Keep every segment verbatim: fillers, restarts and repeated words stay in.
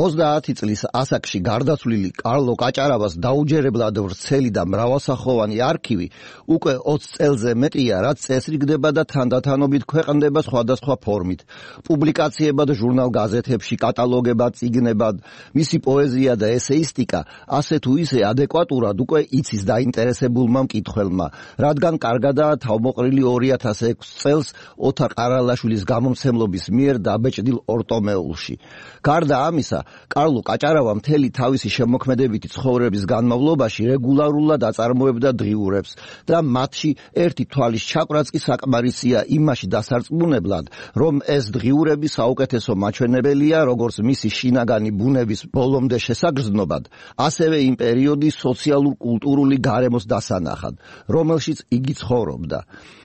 ოცდაათი წლის ასაკში გარდაცვლილი კარლო კაჭარავას დაუჯერებლად ვრცელი და მრავალსახოვანი არქივი უკვე ოცი წელზე მეტია, რაც წესრიგდება და თანდათანობით ქვეყნდება სხვადასხვა ფორმით. პუბლიკაციებად ჟურნალ-გაზეთებში, კატალოგებად, წიგნებად, მისი პოეზია და ესეისტიკა ასე თუ ისე ადეკვატურად უკვე იცის დაინტერესებულმა მკითხველმა, რადგან კარგადაა თავმოყრილი ორი ათას ექვსი წელს ოთარ ყარალაშვილის გამომცემლობის მიერ დაბეჭდილ ორტომეულში. გარდა ამისა, კარლო კაჭარავა მთელი თავისი შემოქმედებითი ცხოვრების განმავლობაში რეგულარულად აწარმოებდა დღიურებს და მათში ერთი თვალის ჩაკვრაც კი საკმარისია იმაში დასარწმუნებლად, რომ ეს დღიურები საუკეთესო მაჩვენებელია როგორც მისი შინაგანი ბუნების ბოლომდე შესაგრძნობად, ასევე იმ პერიოდის სოციალურ-კულტურული გარემოს დასანახად, რომელშიც იგი ცხოვრობდა.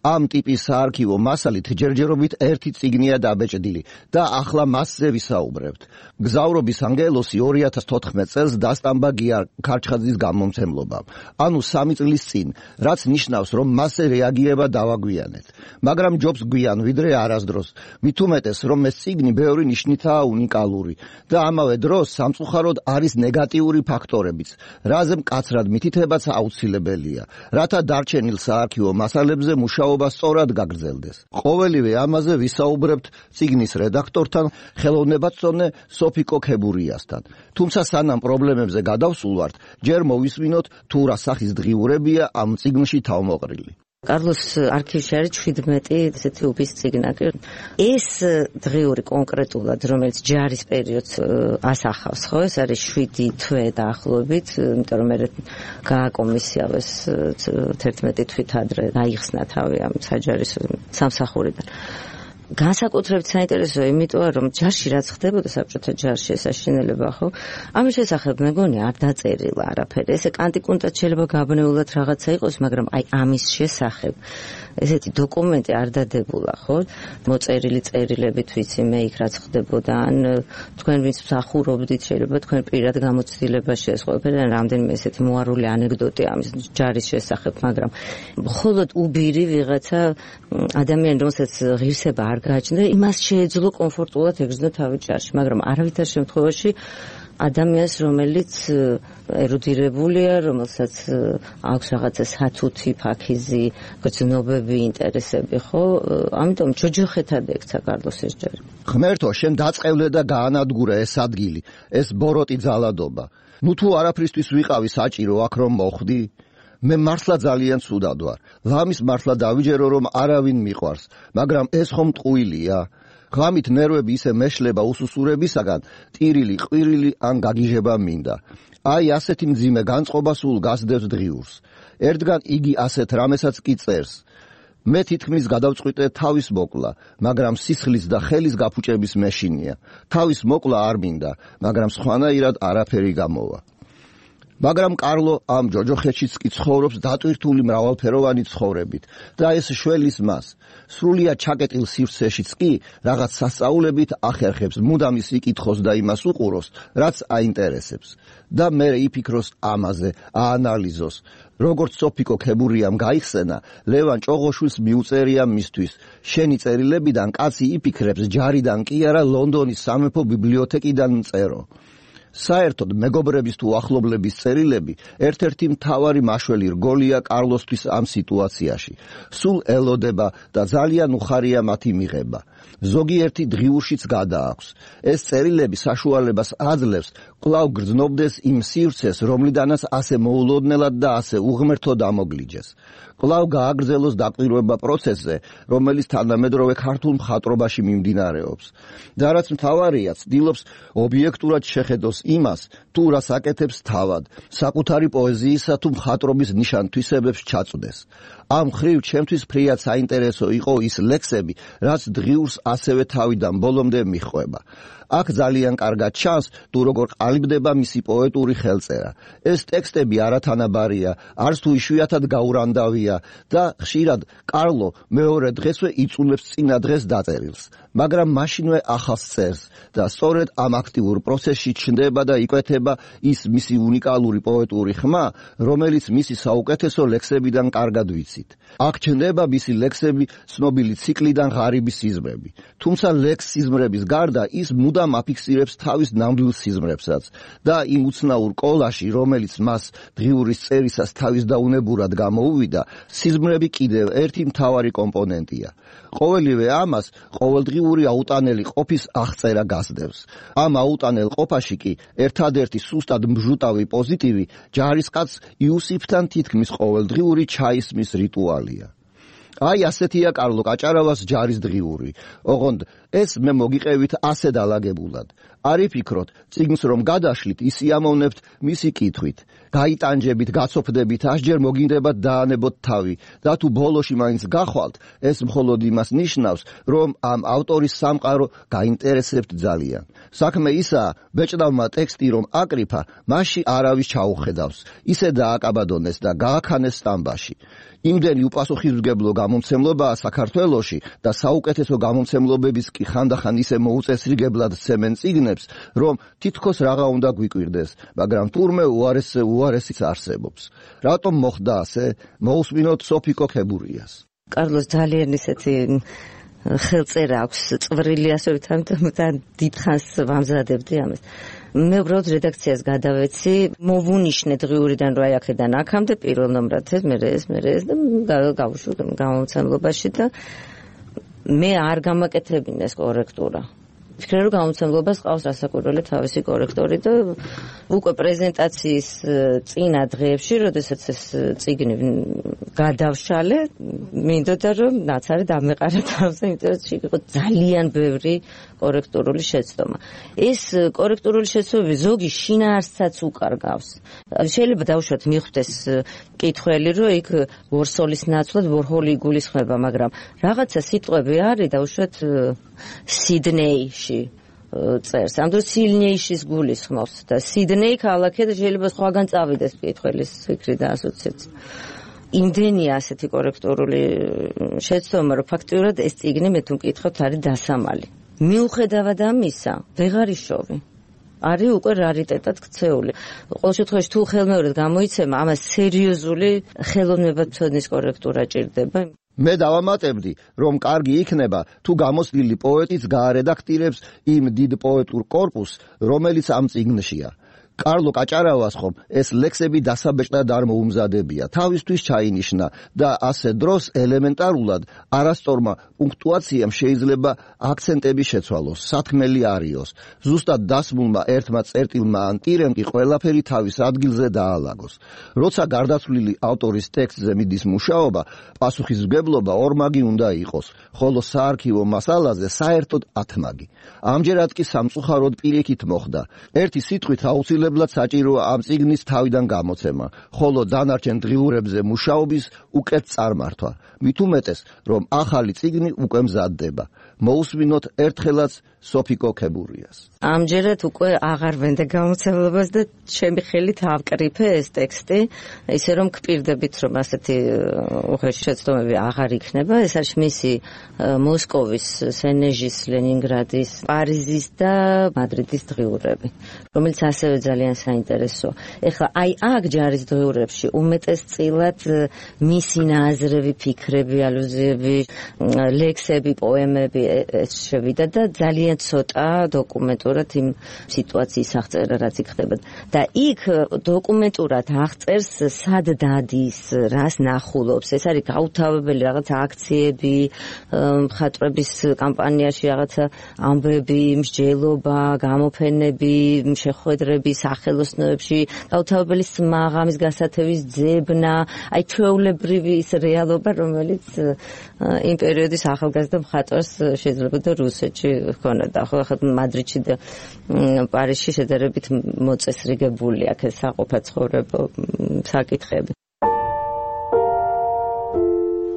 ამ ტიპის საარქივო მასალით ჯერჯერობით ერთი წიგნია დაბეჭდილი და ახლა მასზე ვისაუბრებთ. გზავრობის ანგელოსი ორი ათას თოთხმეტ წელს დასტამბა გია ქარჩხაძის გამომცემლობამ, ანუ სამი წლის წინ, რაც ნიშნავს, რომ მასზე რეაგირება დავაგვიანეთ. მაგრამ ჯობს გვიან ვიდრე არასდროს, მით უმეტეს, რომ ეს წიგნი ბევრი ნიშნითაა უნიკალური და ამავე დროს სამწუხაროდ არის ნეგატიური ფაქტორებიც, რაზე მკაცრად მითითებაც აუცილებელია, რათა დარჩენილ საარქივო მასალებზე მუშაობა სწორად გაგრძელდეს. ყოველივე ამაზე ვისაუბრებთ წიგნის რედაქტორთან, ხელოვნებაცონე სოფი კოქებურიასთან. თუმცა სანამ პრობლემებზე გადავსულვართ, ჯერ მოვისმინოთ თუ რა სახის დღიურებია ამ წიგნში თავმოყრილი. კარლოს არქივში არის შვიდმეტი ესეთი უბის წიგნაკი. ეს დღიური კონკრეტულად, რომელიც ჯარის პერიოდს ასახავს, ხო, ეს არის შვიდი თვე დაახლოებით, იმიტომ რომ მე გააკომისიავეს თერთმეტი თვით ადრე დაიხსნა თავი ამ საჯარის სამსახურიდან. განსაკუთრებით საინტერესოა იმიტოა, რომ ჯარში რაც ხდებოდა საბჭოთა ჯარში ეს აშენელება, ხო? ამის შესახებ მეგონი არ დაწერილა არაფერი. ესე კანტიკუნტად შეიძლება გაბნეულად რაღაცა იყოს, მაგრამ აი ამის შესახებ ესეთი დოკუმენტი არ დადებულა, ხო? მოწერილი წერილებით ვიცი მე იქ რაც ხდებოდა, ან თქვენ ვინც მსახურობდით, შეიძლება თქვენ პირად გამოცდილებაში ეს ყველაფერი, ან რამდენიმე ესეთი მოარული ანეკდოტი ამის ჯარის შესახებ, მაგრამ მხოლოდ უბირი ვიღაცა ადამიანი, რომელსაც ღირსება არ გააჩნდა, იმას შეეძლო კომფორტულად ეგრძნო თავი ჯარში, მაგრამ არავითარ შემთხვევაში ადამიანს, რომელიც ერუდირებულია, რომელსაც აქვს რაღაცა სათუთი, ფაქიზი, გრძნობები, ინტერესები, ხო? ამიტომ ჯოჯოხეთად ექცა კარლოს ეს ჯარი. ღმერთო, შენ დაწყევლე და გაანადგურე ეს ადგილი, ეს ბოროტი ძალადობა. ნუ თუ არაფრისთვის ვიყავი საჭირო აქ რომ მოხვდი? მე მართლა ძალიან ცუდად ვარ. ლამის მართლა დავიჯერო რომ არავინ მიყვარს, მაგრამ ეს ხომ ტყუილია? ღამით ნერვები ისე მეშლება უსუსურებისაგან, ტირილი, ყვირილი ან გაგიჟება მინდა. აი ასეთი მძიმე განწყობა სულ გასდევს დღიურს. ერთგან იგი ასეთ რამესაც კი წერს. მე თითქმის გადავწყვიტე თავის მოკლა, მაგრამ სისხლის და ხელის გაფუჭების მეშინია. თავის მოკლა არ მინდა, მაგრამ სხვანაირად არაფერი გამოვა. მაგრამ კარლო ამ ჯოჯოხეთშიც კი ცხოვრობს დატვირთული მრავალფეროვანი ცხოვრებით და ეს შველის მას. სრულიად ჩაკეტილ სივრცეშიც კი რაღაც სასწაულებით ახერხებს მუდამ ის იკითხოს და იმას უყუროს, რაც აინტერესებს. და მე იფიქროს ამაზე, აანალიზოს. როგორც სოფი კოქებურიამ გაიხსენა, ლევან ჭოღოშვილს მიუწერია მისთვის. შენი წერილებიდან კაცი იფიქრებს ჯარიდან კი არა ლონდონის სამეფო ბიბლიოთეკიდან მწერო. საერთოდ მეგობრების თუ ახლობლების წერილები ერთ-ერთი მთავარი მაშველი რგოლია კარლოსთვის ამ სიტუაციაში. სულ ელოდება და ძალიან უხარია მათი მიღება. ზოგიერთი დღიურშიც გადააქვს. ეს წერილები საშუალებას აძლევს კვლავ გრძნობდეს იმ სივრცეს, რომლიდანაც ასე მოულოდნელად და ასე უღმერთო დამოგლიჯეს. კვლავ გააგრძელოს დაკვირვება პროცესზე, რომელიც თანამედროვე ქართულ მხატვრობაში მიმდინარეობს. და რაც მთავარია, ცდილობს ობიექტურად შეხედოს იმას, თუ რას აკეთებს თავად, საკუთარი პოეზიისა თუ მხატვრობის ნიშან-თვისებებს ჩაწვდეს. ამ ხრივ ჩემთვის ფრიად საინტერესო იყო ის ლექსები, რაც დღიურს ასევე თავიდან ბოლომდე მიჰყვება. აქ ძალიან კარგად ჩანს, თუ როგორ ყალიბდება მისი პოეტური ხელწერა. ეს ტექსტები არათანაბარია, არც თუ იშვიათად გაურანდავია და ხშირად კარლო მეორე დღესვე იწულებს წინა დღეს დაწერილს. მაგრამ მაშინვე ახალს წერს და სწორედ ამ აქტიურ პროცესში ჩნდება და იკვეთება ის მისი უნიკალური პოეტური ხმა, რომელიც მისი საუკეთესო ლექსებიდან კარგად ვიცით. აქ ჩნდება მისი ლექსები ცნობილი ციკლიდან ღარიბი სიზმრები. თუმცა ლექს სიზმრების გარდა ის მუდამ აფიქსირებს თავის ნამდვილ სიზმრებსაც და იმ უცნაურ კოლაში, რომელიც მას დღიურის წერისას თავის დაუნებურად გამოუვიდა, სიზმრები კიდევ ერთი მთავარი კომპონენტია. ყოველივე ამას ყოველდღიური აუტანელი ყოფის აღწერა გასდევს. ამ აუტანელ ყოფაში კი ერთადერთი სუსტად მჟუტავი პოზიტივი ჯარისკაც იუსიფთან თითქმის ყოველდღიური ჩაისმის რიტუალია. აი ასეთია კარლო კაჭარავას ჯარის დღიური. ოღონდ ეს მე მოგიყევით ასე დალაგებულად. არ იფიქროთ, წიგნს რომ გადაშლით, ისიამოვნებთ მისი კითხვით. გაიტანჯებით, გაცოფდებით, ასჯერ მოგინდებათ დაანებოთ თავი და თუ ბოლოში მაინც გახვალთ, ეს მხოლოდ იმას ნიშნავს, რომ ამ ავტორის სამყარო გაინტერესებთ ძალიან. საქმე ისაა, ბეჭდავმა ტექსტი რომ აკრიფა, მასში არავის ჩაუხედავს. ისე დააკაბადონეს და გააქანეს სტამბაში. იმდენი უპასუხისმგებლო გამომცემლობაა საქართველოში და საუკეთესო გამომცემლობების კი ხანდახან ისე მოუწესრიგებლად სცემენ წიგნებს, რომ თითქოს რაღა უნდა გვიკვირდეს, მაგრამ თურმე უარესზე უარესიც არსებობს. რატომ მოხდა ასე? მოусმინოთ სოფიკო ქებურიას. კარლოს ძალიან ისეთი ხელწერა აქვს, წვრილი ასე ვთქვათ და დიდხანს ვამზადებდი ამას. მე უბრალოდ რედაქციას გადავეცი, მოვუნიშნე დღიურიდან რა აქედან აქამდე პირველ ნომრად ეს, მე ეს, მე ეს და გავუშვი გამომცემლობაში და მე არ გამაკეთებინეს კორექტურა. ვფიქრე რომ გამომცემლობას ყავს რასაკვირველი თავისი კორექტორი და უკვე პრეზენტაციის წინა დღეებში, როდესაც ეს წიგნი გადავშალე, მინდოდა რომ ნაცარი დამეყარა თავზე, იმიტომ რომ იყო ძალიან ბევრი კორექტურული შეცდომა. ეს კორექტურული შეცდომები ზოგი შინაარსსაც უკარგავს. შეიძლება დავუშვათ მიხვდეს კითხველი, რომ იქ ვორსოლის ნაცვლად ვორჰოლი იგულისხმება, მაგრამ რაღაცა სიტყვები არის დავუშვათ სიდნეიში წერს. ამ დროს სილნეიშის გულისხმობს და სიდნეი ქალაქია და შეიძლება სხვაგან წავიდეს კითხველის ფიქრი და ასოციაცია. იმდენია ასეთი კორექტურული შეცდომა, რომ ფაქტიურად ეს წიგნი მე თუ მკითხავთ არის დასამალი. მიუხედავად ამისა, ვეღარ იშოვი. არის უკვე რარიტეტად ქცეული. ყოველ შემთხვევაში თუ ხელმეორედ გამოიცემა, ამას სერიოზული ხელოვნებათმცოდნის კორექტურა ჭირდება. მე დავამატებდი, რომ კარგი იქნება, თუ გამოსვლილი პოეტიც გაარედაქტირებს იმ დიდ პოეტურ კორპუსს, რომელიც ამ წიგნშია. კარლო კაჭარავას ხომ ეს ლექსები დასაბეჭდად არ მოუმზადებია, თავისთვის ჩაინიშნა და ასე დროს ელემენტარულად არასწორმა პუნქტუაციამ შეიძლება აქცენტები შეცვალოს, სათქმელი არიოს. ზუსტად დასმულმა ერთმა წერტილმა ან ტირემ კი ყველაფერი თავის ადგილზე დაალაგოს. როცა გარდაცვლილი ავტორის ტექსტზე მიდის მუშაობა, პასუხისმგებლობა ორმაგი უნდა იყოს, ხოლო საარქივო მასალაზე საერთოდ ათმაგი. ამჯერად კი სამწუხაროდ პირიქით მოხდა. ერთი სიტყვით აუცილებლად საჭიროა ამ წიგნის თავიდან გამოცემა, ხოლო დანარჩენ დღიურებზე მუშაობის უკეთ წარმართვა. მით უმეტეს, რომ ახალი წიგნი უკვე მზადდება. მოусმინოთ ერთხელაც სოფიკო ქებურიას. ამჯერად უკვე აღარ ვენდე გამოცემლობას და ჩემი ხელით ავკრიფე ეს ტექსტი, ისე რომ გპირდებით, რომ ასეთი უხეში შეცდომები აღარ იქნება. ეს არის მისი მოსკოვის, სენეჟის, ლენინგრადის, პარიზის და მადრიდის დღიურები, რომელიც ასევე ძალიან საინტერესოა. ეხლა აი აქ ჯარის დღიურებში უმეტესწილად მისი ნაზრები, ფიქრები, ალუზიები, ლექსები, პოემები ეს შევიდა და ძალიან ცოტა დოკუმენტურად იმ სიტუაციის აღწერა რაც იქ ხდება. და იქ დოკუმენტურად აღწერს სად დადის, რას ნახულობს. ეს არის გაუთავებელი რაღაცა აქციები, მხატვრების კამპანიაში რაღაცა ამბები, მსჯელობა, გამოფენები, შეხვედრები სახელოსნოებში, გაუთავებელი სმაღამის გასათევის ძებნა, აი ჩვეულებრივი ის რეალობა, რომელიც იმ პერიოდის ახალგაზრდა მხატვარს შეიძლება და რუსეთში ჰქონოდა. ხო, ახლა მადრიდში და პარიზში შედარებით მოწესრიგებული აქ საყოფაცხოვრებო საკითხები.